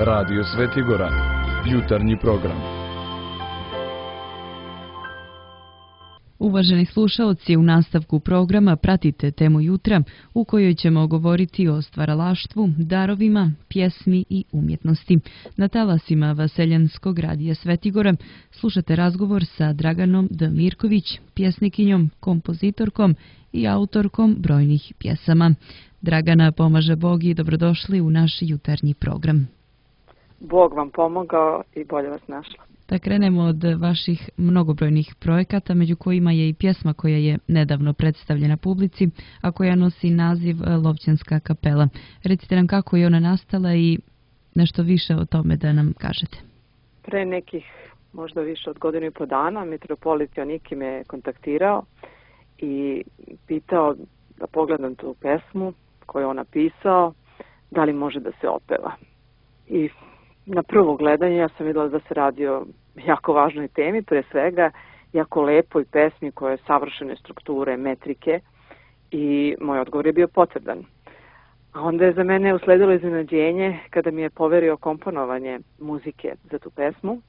Radio Svetigora, jutarnji program. Uvaženi slušaoci, u nastavku programa pratite temu jutra u kojoj ćemo govoriti o stvaralaštvu, darovima, pjesmi i umjetnosti. Na talasima Vaseljanskog radija Svetigora slušate razgovor sa Draganom D. Mirković, pjesnikinjom, kompozitorkom i autorkom brojnih pjesama. Dragana, pomaže Bog i dobrodošli u naš jutarnji program. Bog vam pomogao i bolje vas našla. Da krenemo od vaših mnogobrojnih projekata, među kojima je i pjesma koja je nedavno predstavljena publici, a koja nosi naziv Lovćanska kapela. Recite nam kako je ona nastala i nešto više o tome da nam kažete. Pre nekih možda više od godinu i po dana mitropolit Joniki me kontaktirao i pitao da pogledam tu pesmu koju je on napisao, da li može da se opeva. I na prvo gledanje ja sam vidjela da se radi o jako važnoj temi, pre svega jako lepoj pesmi koja je savršene strukture, metrike, i moj odgovor je bio potvrdan. A onda je za mene usledilo iznenađenje kada mi je poverio komponovanje muzike za tu pesmu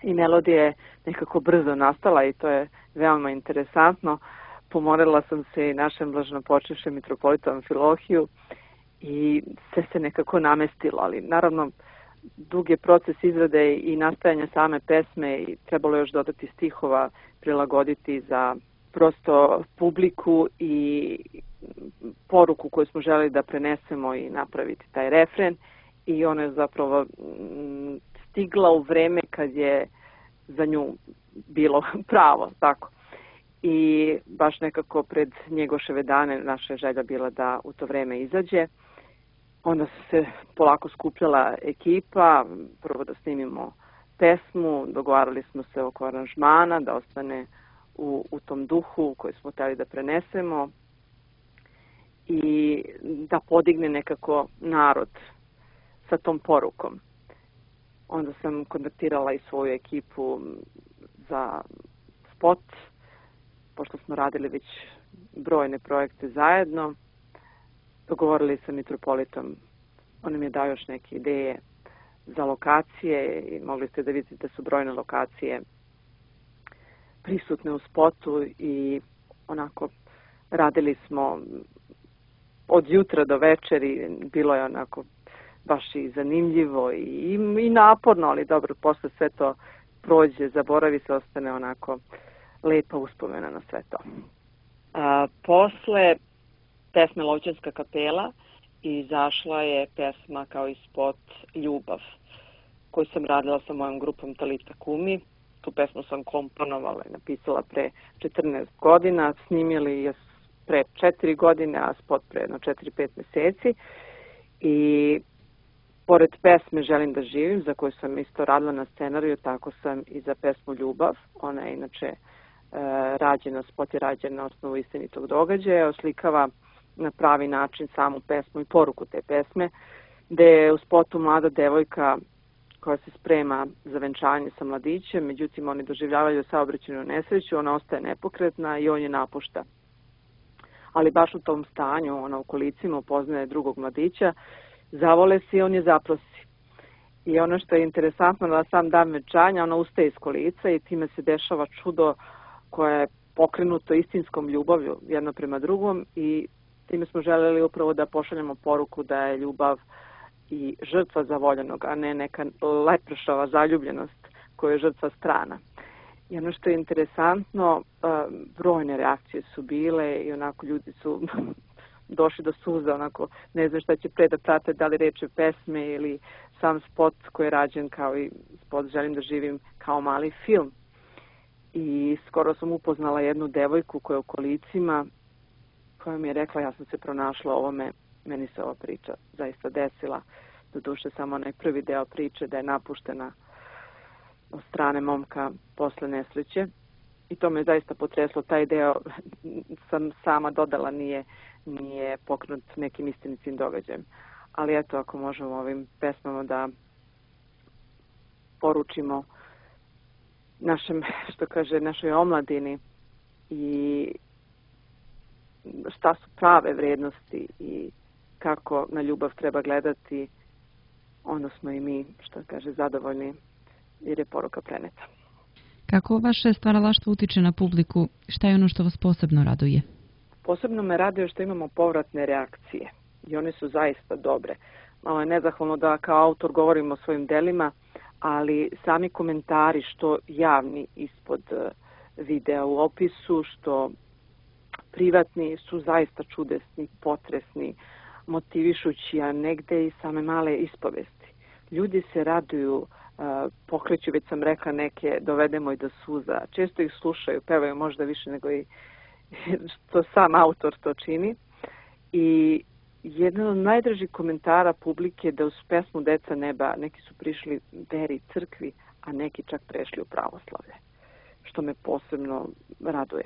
i melodija je nekako brzo nastala i to je veoma interesantno. Pomorila sam se i našem blaženopočivšem mitropolitu Amfilohiju i sve se nekako namestilo, ali naravno dug je proces izrade i nastajanja same pesme i trebalo još dodati stihova, prilagoditi za prosto publiku i poruku koju smo želeli da prenesemo i napraviti taj refren, i ona je zapravo stigla u vreme kad je za nju bilo pravo, tako. I baš nekako pred Njegoševe dane naša želja bila da u to vreme izađe. Onda se polako skupljala ekipa, prvo da snimimo pesmu, dogovarali smo se oko aranžmana, da ostane u tom duhu koji smo htjeli da prenesemo i da podigne nekako narod sa tom porukom. Onda sam kontaktirala i svoju ekipu za spot, pošto smo radili već brojne projekte zajedno. Dogovorili sa mitropolitom, on nam je dao još neke ideje za lokacije i mogli ste da vidite da su brojne lokacije prisutne u spotu i onako radili smo od jutra do večeri, bilo je onako baš i zanimljivo i naporno, ali dobro, posle sve to prođe, zaboravi se, ostane onako lepa uspomena na sve to. Posle pesme Lovćanska kapela izašla je pesma kao i spot Ljubav, koju sam radila sa mojom grupom Talita Kumi. Tu pesmu sam komponovala i napisala pre 14 godina, snimili je pre 4 godine, a spot pre 4-5 meseci. I pored pesme Želim da živim, za koju sam isto radila na scenariju, tako sam i za pesmu Ljubav. Ona je inače rađena, spot je rađen na osnovu istinitog događaja, oslikava na pravi način samu pesmu i poruku te pesme, gde je u spotu mlada devojka koja se sprema za venčanje sa mladićem, međutim oni doživljavaju saobraćajnu nesreću, ona ostaje nepokretna i on je napušta. Ali baš u tom stanju, ona u kolicima upoznaje drugog mladića, zavole se i on je zaprosi. I ono što je interesantno, na sam dan venčanja ona ustaje iz kolica i time se dešava čudo koje je pokrenuto istinskom ljubavlju jedno prema drugom, i time smo želeli upravo da pošaljemo poruku da je ljubav i žrtva zavoljenog, a ne neka lepršava zaljubljenost koja je žrtva strana. I ono što je interesantno, brojne reakcije su bile i onako ljudi su došli do suza, onako ne znam šta će pre da prate, da li reče pesme ili sam spot koji je rađen kao i spot Želim da živim kao mali film. I skoro sam upoznala jednu devojku koja je u kolicima, koja mi je rekla ja sam se pronašla ovome, meni se ova priča zaista desila, doduše samo onaj prvi deo priče da je napuštena od strane momka posle nesreće, i to me zaista potreslo. Taj deo sam sama dodala, nije pokrenut nekim istinitim događajem. Ali eto, ako možemo ovim pesmama da poručimo našoj omladini i šta su prave vrednosti i kako na ljubav treba gledati onda smo i mi, što kaže, zadovoljni jer je poruka preneta. Kako vaše stvaralaštvo utiče na publiku? Šta je ono što vas posebno raduje? Posebno me raduje što imamo povratne reakcije i one su zaista dobre. Malo je nezahvalno da kao autor govorim o svojim delima, ali sami komentari, što javni ispod videa u opisu, što privatni, su zaista čudesni, potresni, motivišući, a negde i same male ispovesti. Ljudi se raduju, pokreću, već sam rekla, neke dovedemo i do suza. Često ih slušaju, pevaju možda više nego i što sam autor to čini. I jedan od najdražih komentara publike je da uz pesmu Deca neba neki su prišli veri crkvi, a neki čak prešli u pravoslavlje, što me posebno raduje.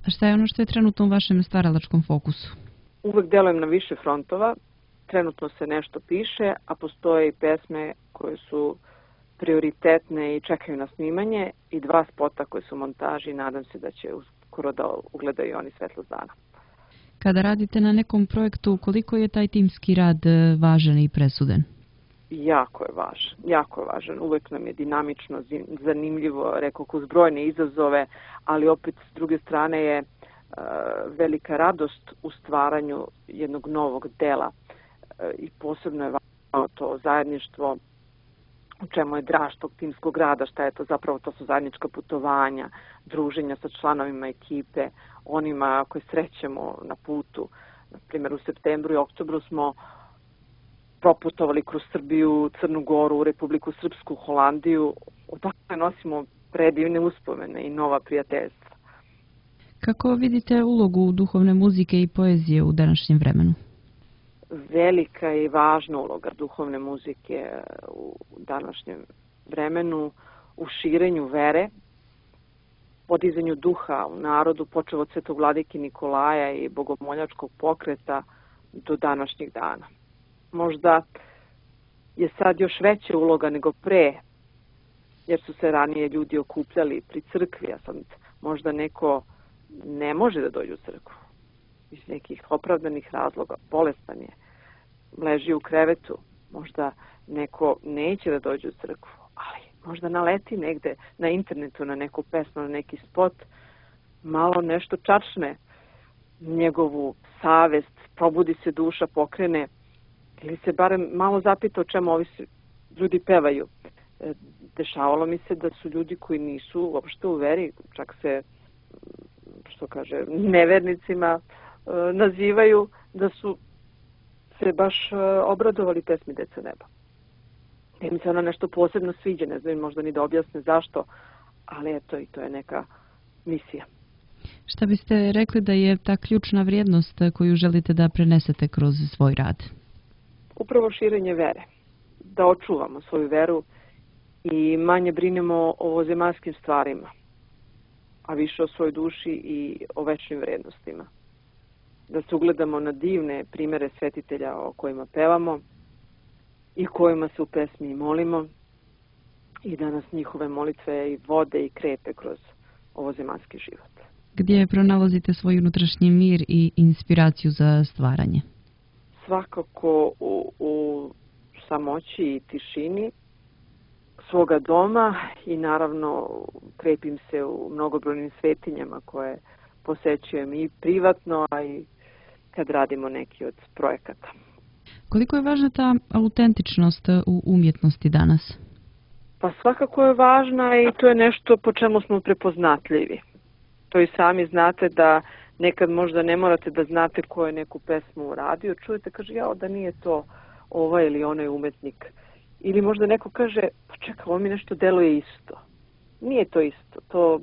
A šta je ono što je trenutno u vašem stvaralačkom fokusu? Uvek delujem na više frontova, trenutno se nešto piše, a postoje i pesme koje su prioritetne i čekaju na snimanje i 2 spota koje su u montaži i nadam se da će uskoro da ugledaju oni svetlost dana. Kada radite na nekom projektu, koliko je taj timski rad važan i presudan? Jako je važan. Uvek nam je dinamično, zanimljivo, rekao, uz brojne izazove, ali opet s druge strane je velika radost u stvaranju jednog novog dela i posebno je važno to zajedništvo, u čemu je draž tog timskog rada, šta je to zapravo, to su zajednička putovanja, druženja sa članovima ekipe, onima koje srećemo na putu. Na primjer, u septembru i oktobru smo proputovali kroz Srbiju, Crnu Goru, Republiku Srpsku, Holandiju. Odakle nosimo predivne uspomene i nova prijateljstva. Kako vidite ulogu duhovne muzike i poezije u današnjem vremenu? Velika i važna uloga duhovne muzike u današnjem vremenu, u širenju vere, podizanju duha u narodu, počev od Svetog vladike Nikolaja i bogomoljačkog pokreta do današnjih dana. Možda je sad još veća uloga nego pre, jer su se ranije ljudi okupljali pri crkvi, a sad možda neko ne može da dođe u crkvu iz nekih opravdanih razloga, bolestan je, leži u krevetu, možda neko neće da dođe u crkvu, ali možda naleti negde na internetu na neku pesmu, na neki spot, malo nešto čačne njegovu savest, probudi se duša, pokrene, ili se barem malo zapita o čemu ovi ljudi pevaju. Dešavalo mi se da su ljudi koji nisu uopšte u veri, čak se, što kaže, nevernicima nazivaju, da su se baš obradovali pesmi Deca neba. Da mi se ona nešto posebno sviđa, ne znam možda ni da objasne zašto, ali eto, i to je neka misija. Šta biste rekli da je ta ključna vrijednost koju želite da prenesete kroz svoj rad? Upravo širenje vere. Da očuvamo svoju veru i manje brinemo o ovozemaljskim stvarima, a više o svojoj duši i o večnim vrednostima. Da se ugledamo na divne primere svetitelja o kojima pevamo i kojima se u pesmi molimo i da nas njihove molitve i vode i krepe kroz ovozemaljski život. Gdje pronalazite svoj unutrašnji mir i inspiraciju za stvaranje? Svakako u samoći i tišini svoga doma i naravno krepim se u mnogobrojnim svetinjama koje posećujem i privatno, a i kad radimo neki od projekata. Koliko je važna ta autentičnost u umjetnosti danas? Pa svakako je važna i to je nešto po čemu smo prepoznatljivi. To i sami znate da nekad možda ne morate da znate ko je neku pesmu uradio. Čujete, kaže, jao, da nije to ovaj ili onaj umetnik. Ili možda neko kaže, pa čekaj, ovo mi nešto deluje isto. Nije to isto. To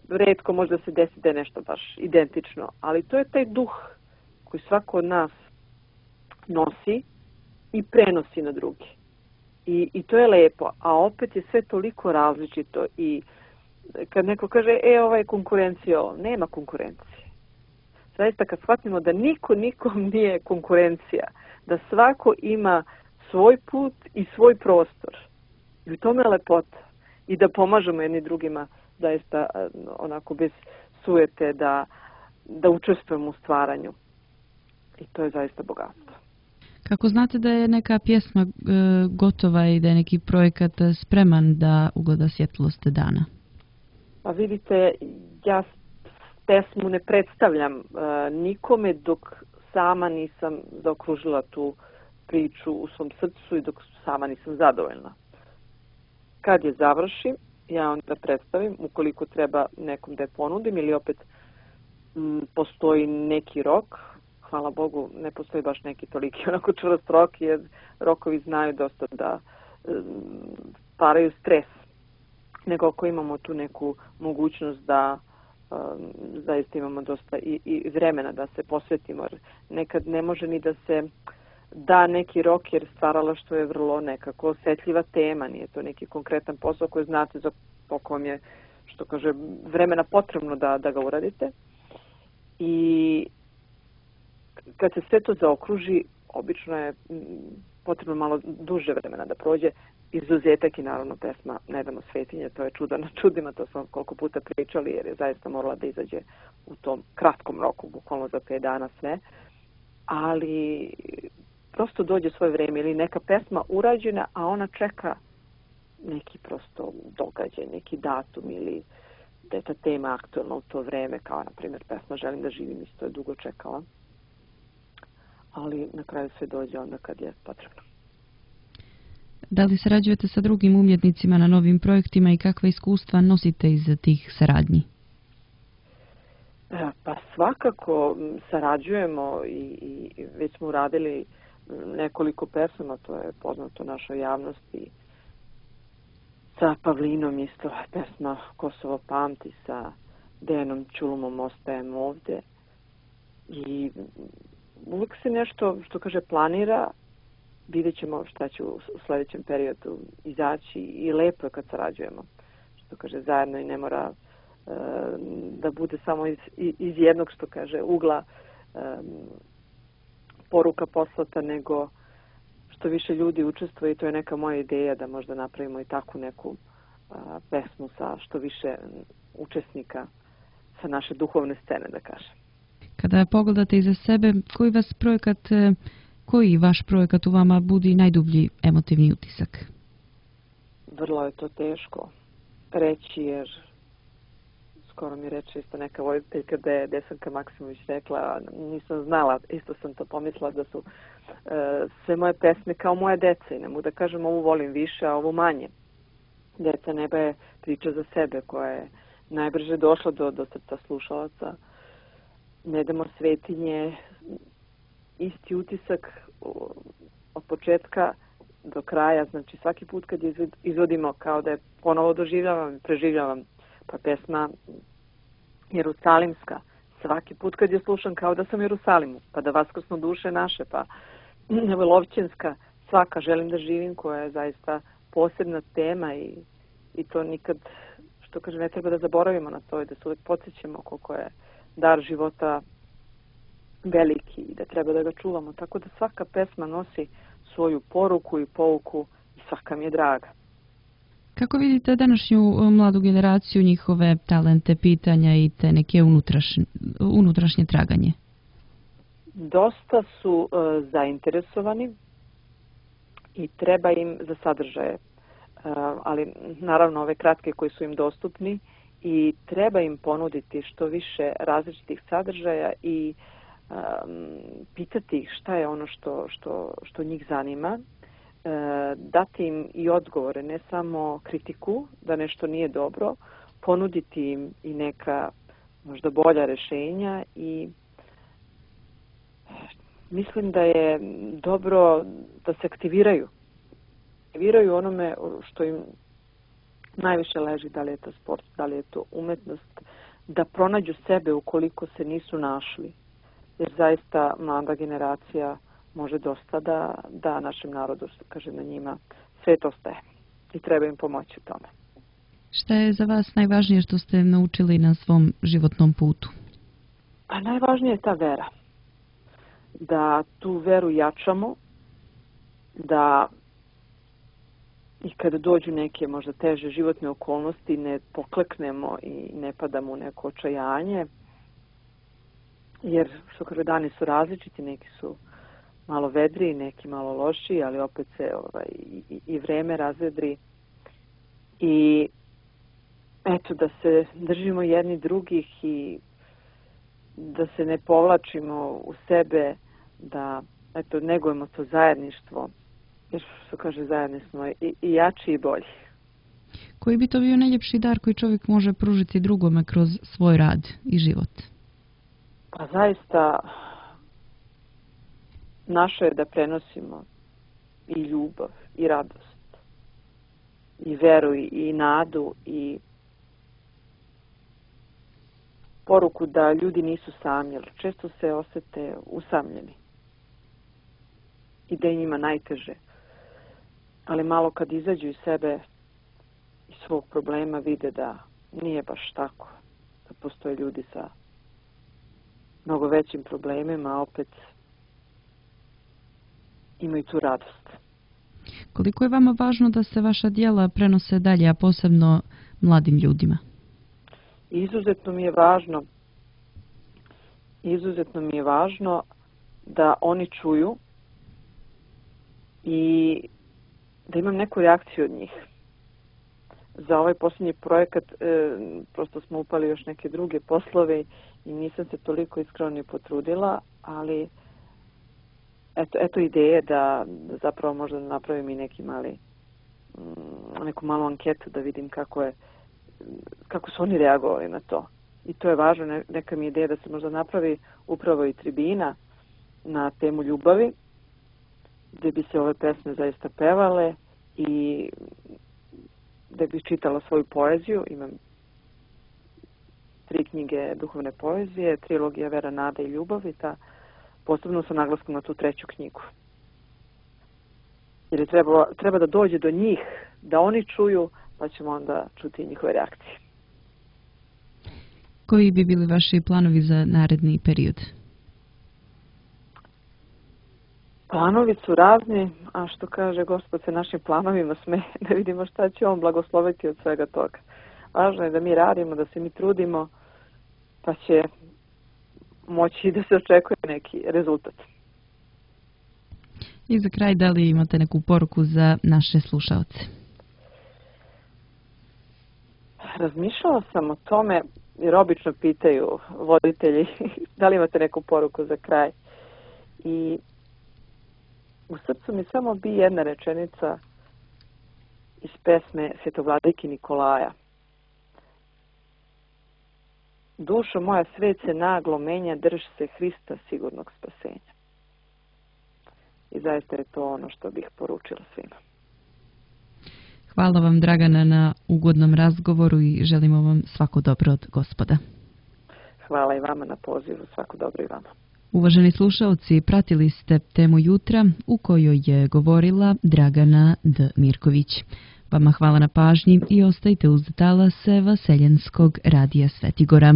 retko možda se desi da je nešto baš identično. Ali to je taj duh koji svako od nas nosi i prenosi na drugi. I to je lepo. A opet je sve toliko različito i kad neko kaže, ova je konkurencija, nema konkurencije. Zaista kad shvatimo da niko nikom nije konkurencija, da svako ima svoj put i svoj prostor. I u tome je lepota. I da pomažemo jedni drugima, zaista onako bez sujete, da učestvujemo u stvaranju. I to je zaista bogatstvo. Kako znate da je neka pjesma gotova i da je neki projekat spreman da ugleda svjetlost dana? Pa vidite, ja pesmu ne predstavljam nikome dok sama nisam zaokružila tu priču u svom srcu i dok sama nisam zadovoljna. Kad je završim, ja onda predstavim, ukoliko treba nekom da je ponudim ili opet postoji neki rok. Hvala Bogu, ne postoji baš neki toliki onako čvrst rok, jer rokovi znaju dosta da paraju stres. Nego ako imamo tu neku mogućnost da zaista imamo dosta i vremena da se posvetimo. Nekad ne može ni da se da neki rok, jer stvaralaštvo je vrlo nekako osjetljiva tema, nije to neki konkretan posao koji znate za koliko vam je, što kaže, vremena potrebno da ga uradite. I kad se sve to zaokruži, obično je potrebno malo duže vremena da prođe. Izuzetak i naravno pesma Ne damo svetinje, to je čudo na čudima, to smo koliko puta pričali, jer je zaista morala da izađe u tom kratkom roku, bukvalno za 5 dana sve. Ali prosto dođe svoje vrijeme ili neka pesma urađena, a ona čeka neki prosto događaj, neki datum ili da je ta tema aktualna u to vrijeme, kao na primjer pesma Želim da živim, isto je dugo čekala. Ali na kraju sve dođe onda kad je potrebno. Da li sarađujete sa drugim umjetnicima na novim projektima i kakva iskustva nosite iz tih saradnji? Pa svakako sarađujemo i već smo uradili nekoliko pesama, to je poznato našoj javnosti. Sa Pavlinom isto pesma Kosovo pamti, sa Dejanom Ćulumom Ostajem ovde. I uvijek se nešto, što kaže, planira. Vidjet ćemo šta će u sljedećem periodu izaći i lepo je kad sarađujemo. Što kaže, zajedno i ne mora da bude samo iz jednog, što kaže, ugla poruka poslata, nego što više ljudi učestvuje i to je neka moja ideja da možda napravimo i takvu neku pesmu sa što više učesnika sa naše duhovne scene, da kažem. Kada pogledate iza sebe, koji vaš projekat u vama budi najdublji emotivni utisak? Vrlo je to teško reći, jer skoro mi reče isto neka voditeljka da je Desanka Maksimović rekla, nisam znala, isto sam to pomislila da su sve moje pesme kao moja deca i ne mogu da kažem ovu volim više, a ovu manje. Deca neba je priča za sebe koja je najbrže došla do srca slušalaca. Ne damo svetinje, isti utisak od početka do kraja, znači svaki put kad izvodimo kao da je ponovo doživljavam i preživljavam, pa pesma Jerusalimska, svaki put kad je slušam kao da sam u Jerusalimu, pa da vaskrsnu duše naše, pa Lovćenska, svaka Želim da živim, koja je zaista posebna tema i to nikad, što kaže, ne treba da zaboravimo na to i da se uvijek podsjećamo koliko je dar života veliki i da treba da ga čuvamo. Tako da svaka pesma nosi svoju poruku i pouku i svaka mi je draga. Kako vidite današnju mladu generaciju, njihove talente, pitanja i te neke unutrašnje traganje? Dosta su zainteresovani i treba im za sadržaje, ali naravno ove kratke koji su im dostupni i treba im ponuditi što više različitih sadržaja i pitati ih šta je ono što njih zanima, dati im i odgovore, ne samo kritiku da nešto nije dobro, ponuditi im i neka možda bolja rješenja i mislim da je dobro da se aktiviraju onome što im najviše leži, da li je to sport, da li je to umetnost, da pronađu sebe ukoliko se nisu našli. Jer zaista mlada generacija može dosta da našem narodu, što kaže, na njima svet ostaje i treba im pomoći u tome. Šta je za vas najvažnije što ste naučili na svom životnom putu? Pa najvažnije je ta vera. Da tu veru jačamo, da i kada dođu neke možda teže životne okolnosti ne pokleknemo i ne padamo u neko očajanje, jer što kaže, dani su različiti, neki su malo vedriji, neki malo lošiji, ali opet se i vreme razvedri. I eto, da se držimo jedni drugih i da se ne povlačimo u sebe, da eto, negujemo to zajedništvo, jer što kaže zajedno smo i jači i bolji. Koji bi to bio najljepši dar koji čovjek može pružiti drugome kroz svoj rad i život? Pa zaista naše je da prenosimo i ljubav, i radost, i veru, i nadu, i poruku da ljudi nisu sami, jer često se osete usamljeni i da je njima najteže. Ali malo kad izađu iz sebe, iz svog problema, vide da nije baš tako. Da postoje ljudi sa mnogo većim problemima, a opet imaju tu radost. Koliko je vama važno da se vaša djela prenose dalje, a posebno mladim ljudima? Izuzetno mi je važno da oni čuju i da imam neku reakciju od njih. Za ovaj posljednji projekat prosto smo upali još neke druge poslove i nisam se toliko iskreno ni potrudila, ali eto ideje da zapravo možda napravim i neku malu anketu da vidim kako su oni reagovali na to. I to je važno, neka mi je ideja da se možda napravi upravo i tribina na temu ljubavi, gdje bi se ove pesme zaista pevale i da bih čitala svoju poeziju. Imam 3 knjige duhovne poezije, trilogija Vera, nada i ljubav, i posebno sa naglaskom na tu 3. knjigu. Jer treba da dođe do njih, da oni čuju, pa ćemo onda čuti njihove reakcije. Koji bi bili vaši planovi za naredni period? Planovi su razni, a što kaže Gospod se našim planovima smeje, da vidimo šta će on blagosloviti od svega toga. Važno je da mi radimo, da se mi trudimo, pa će moći da se očekuje neki rezultat. I za kraj, da li imate neku poruku za naše slušaoce? Razmišljala sam o tome, jer obično pitaju voditelji da li imate neku poruku za kraj. I u srcu mi samo bi jedna rečenica iz pesme Svetovladike Nikolaja. Dušo moja, svet se naglo menja, drž se Hrista sigurnog spasenja. I zaista je to ono što bih poručila svima. Hvala vam, Dragana, na ugodnom razgovoru i želimo vam svako dobro od Gospoda. Hvala i vama na pozivu, svako dobro i vama. Uvaženi slušaoci, pratili ste temu jutra u kojoj je govorila Dragana D. Mirković. Vama hvala na pažnji i ostajte uz talase Vaseljenskog radija Svetigora.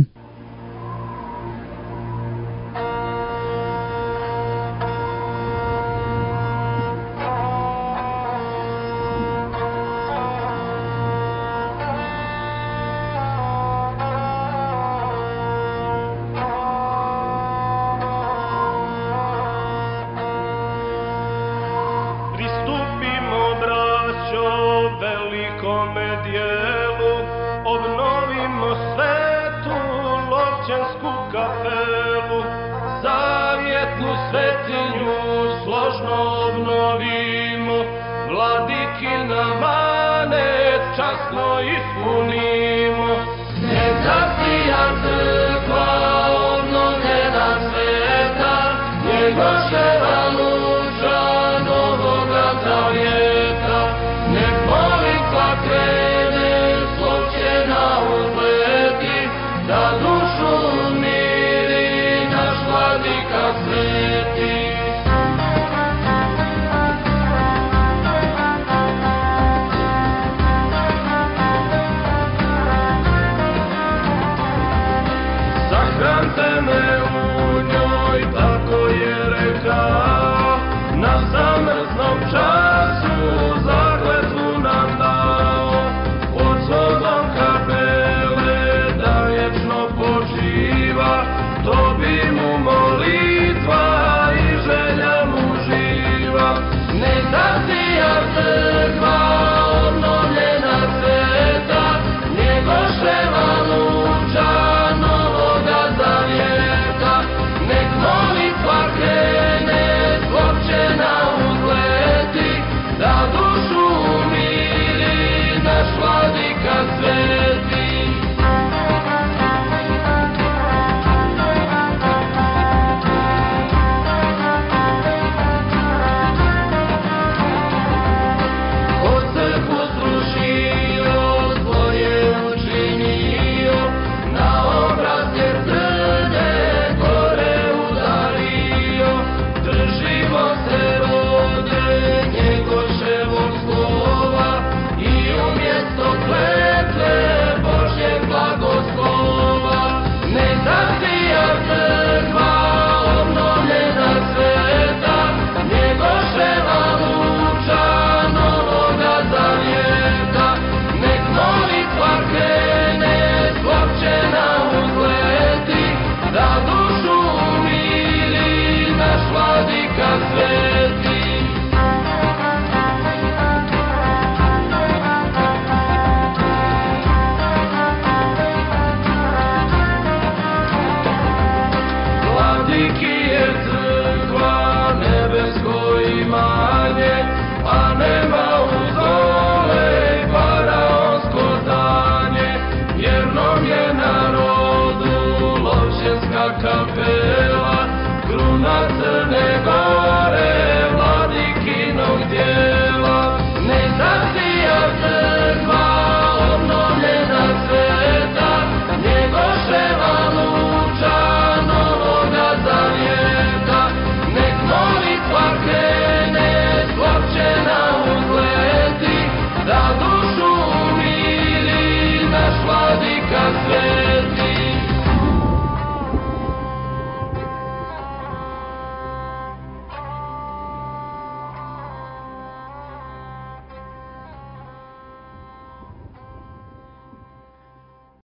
To bi mu molitva kapela.